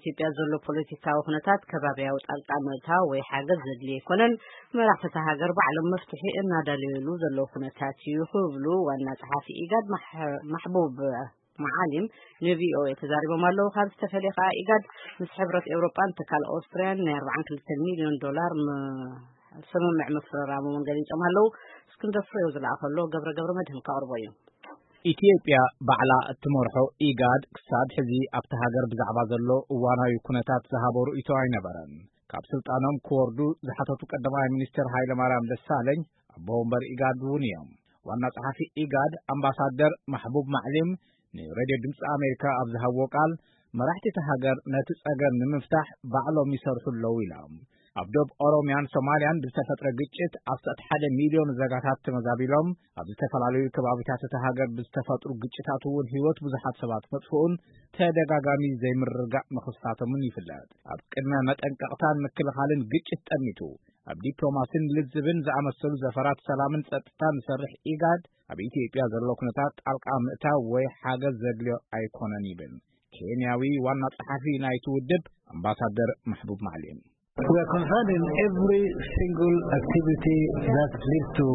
ኢትዮጵያ ዘሎ ፖለቲካዊ ኩነታት ከባቢያዊ ጣልቃ ምእታው ወይ ሓገዝ ዘድልዮ ኣይኮነን። መራሕቲ እታ ሃገር ባዕሎም መፍትሒ እናዳለዩሉ ዘለዉ ኩነታት እዩ ክብሉ ዋና ጸሓፊ ኢጋድ ማሕ-፣ ማሕቡብ መዓሊም ንቪኦኤ ተዛሪቦም ኣለዉ። ካብ ዝተፈለየ ከኣ ኢጋድ ምስ ሕብረት ኤውሮጳን ትካል ኦስትርያን ናይ ኣርባዓን ክልተን ሚልዮን ዶላር ም-፣ ስምምዕ ምፍርራሞምን ገሊጾም ኣለዉ። እስክንድር ፍሬው ዝለኣኸሎ ገብረ ገብረ መድህን ከቕርቦ እዩ። ኢትዮጵያ ባዕላ እትመርሖ ኢጋድ ክሳብ ሕዚ ኣብቲ ሃገር ብዛዕባ ዘሎ እዋናዊ ኩነታት ዝሃቦ ርእይቶ ኣይነበረን። ካብ ስልጣኖም ክወርዱ ዝሓተቱ ቀዳማይ ሚኒስትር ሃይለማርያም ደሳለኝ ኣቦ ወንበር ኢጋድ እውን እዮም። ዋና ጸሓፊ ኢጋድ ኣምባሳደር ማሕቡብ ማዕሊም ንሬድዮ ድምፂ ኣሜሪካ ኣብ ዝሃብዎ ቃል፣ መራሕቲ እታ ሃገር ነቲ ጸገም ንምፍታሕ ባዕሎም ይሰርሑ ኣለዉ ኢሎም። ኣብ ዶብ ኦሮሚያን ሶማልያን ብዝተፈጥረ ግጭት ኣስታት ሓደ ሚልዮን ዜጋታት ተመዛቢሎም፣ ኣብ ዝተፈላለዩ ከባቢታት እታ ሃገር ብዝተፈጥሩ ግጭታት እውን ህይወት ብዙሓት ሰባት መጥፍኡን ተደጋጋሚ ዘይምርግጋእ ምኽሳቶምን ይፍለጥ። ኣብ ቅድመ መጠንቀቕታን ምክልኻልን ግጭት ጠሚቱ፣ ኣብ ዲፕሎማሲን ልዝብን ዝኣመሰሉ ዘፈራት ሰላምን ጸጥታን ዝሰርሕ ኢጋድ፣ ኣብ ኢትዮጵያ ዘሎ ኩነታት ጣልቃ ምእታው ወይ ሓገዝ ዘድልዮ ኣይኮነን ይብል ኬንያዊ ዋና ጸሓፊ ናይቲ ውድብ ኣምባሳደር ማሕቡብ ማዕሊም። We are concerned in every single activity that leads to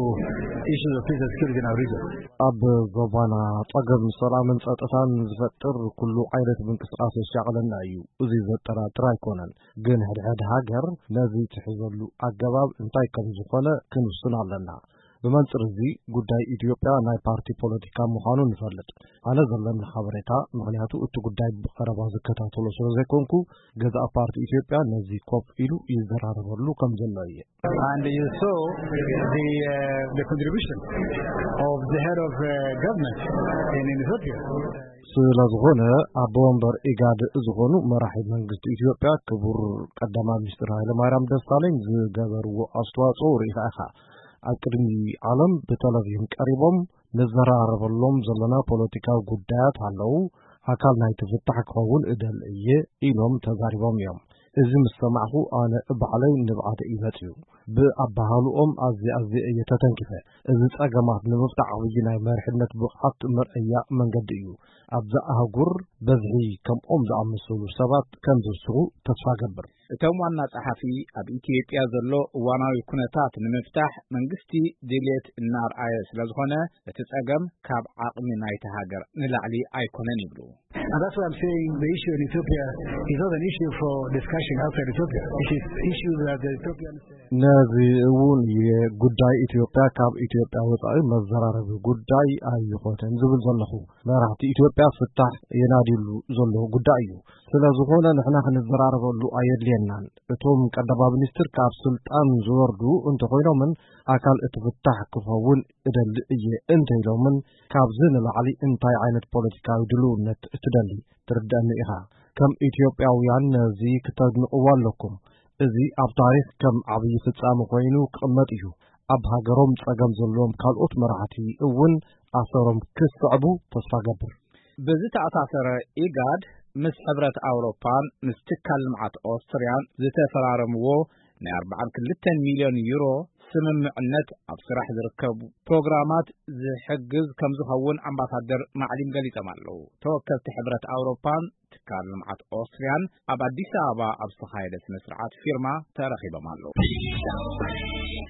issues of peace and security in our region. ኣብ ዞባና ጸገም ሰላምን ጸጥታን ዝፈጥር ኩሉ ዓይነት ምንቅስቃስ የሻቕለና እዩ። እዚ ዘጠራጥር ኣይኮነን። ግን ሕድሕድ ሃገር ነዚ ትሕዘሉ ኣገባብ እንታይ ከም ዝኾነ ክንውስን ኣለና። ብመንጽር እዚ ጉዳይ ኢትዮጵያ ናይ ፓርቲ ፖለቲካ ምዃኑ ንፈልጥ። ኣነ ዘለኒ ሓበሬታ፣ ምኽንያቱ እቲ ጉዳይ ብቐረባ ዝከታተሎ ስለ ዘይኮንኩ፣ ገዛእ ፓርቲ ኢትዮጵያ ነዚ ኮፍ ኢሉ ይዘራረበሉ ከም ዘሎ እየ። And you saw the, uh, the contribution of the head of, uh, government in, in Ethiopia. ስለ ዝኾነ ኣቦ ወንበር ኢጋድ ዝኾኑ መራሒ መንግስቲ ኢትዮጵያ ክቡር ቀዳማይ ሚኒስትር ሃይለማርያም ደሳለኝ ዝገበርዎ ኣስተዋጽኦ ርኢኻ ኢኻ። ኣብ ቅድሚ ዓለም ብተለቪዥን ቀሪቦም፣ "ንዘራረበሎም ዘለና ፖለቲካዊ ጉዳያት ኣለዉ፣ ኣካል ናይቲ ፍታሕ ክኸውን እደሊ እየ" ኢሎም ተዛሪቦም እዮም። እዚ ምስ ሰማዕኹ ኣነ ባዕለይ ንብዓተ እዩ መጺኡ። ብኣበሃህልኦም ኣዝየ ኣዝየ እየ ተተንኪፈ። እዚ ጸገማት ንምፍታሕ ዓብዪ ናይ መሪሕነት ብቕዓት መርኣያ መንገዲ እዩ። ኣብዛ ኣህጉር በዝሒ ከምኦም ዝኣመሰሉ ሰባት ከም ዝውስኹ ተስፋ እገብር። እቶም ዋና ጸሓፊ ኣብ ኢትዮጵያ ዘሎ እዋናዊ ኩነታት ንምፍታሕ መንግስቲ ድልየት እናርኣየ ስለ ዝኾነ እቲ ጸገም ካብ ዓቕሚ ናይቲ ሃገር ንላዕሊ ኣይኮነን ይብሉ። And that's why I'm saying the issue in Ethiopia is not an issue for discussion outside Ethiopia. It is issues that the Ethiopians ነዚ እውን እየ ጉዳይ ኢትዮጵያ ካብ ኢትዮጵያ ወጻኢ መዘራረቢ ጉዳይ ኣይኾነን ዝብል ዘለኹ። መራሕቲ ኢትዮጵያ ፍታሕ የናድዩሉ ዘለዉ ጉዳይ እዩ። ስለ ዝኾነ ንሕና ክንዘራረበሉ ኣየድልየናን። እቶም ቀዳማይ ሚኒስትር ካብ ስልጣን ዝወርዱ እንተኾይኖምን ኣካል እቲ ፍታሕ ክኸውን እደሊ እየ እንተኢሎምን፣ ካብዚ ንላዕሊ እንታይ ዓይነት ፖለቲካዊ ድልውነት ትደሊ? ትርድአኒ ኢኻ። ከም ኢትዮጵያውያን ነዚ ክተድንቕዎ ኣለኩም። እዚ ኣብ ታሪኽ ከም ዓብዪ ፍጻመ ኮይኑ ክቕመጥ እዩ። ኣብ ሃገሮም ጸገም ዘለዎም ካልኦት መራሕቲ እውን ኣሰሮም ክስዕቡ ተስፋ ገብር። ብዝተኣሳሰረ፣ ኢጋድ ምስ ሕብረት ኣውሮፓን ምስ ትካል ልምዓት ኦስትርያን ዝተፈራረምዎ ናይ ኣርባዓን ክልተን ሚልዮን ዩሮ ስምምዕነት ኣብ ስራሕ ዝርከቡ ፕሮግራማት ዝሕግዝ ከም ዝኸውን ኣምባሳደር ማዕሊም ገሊጾም ኣለዉ። ተወከልቲ ሕብረት ኣውሮፓን ትካል ልምዓት ኦስትርያን ኣብ ኣዲስ ኣበባ ኣብ ዝተኻየደ ስነ ስርዓት ፊርማ ተረኺቦም ኣለዉ።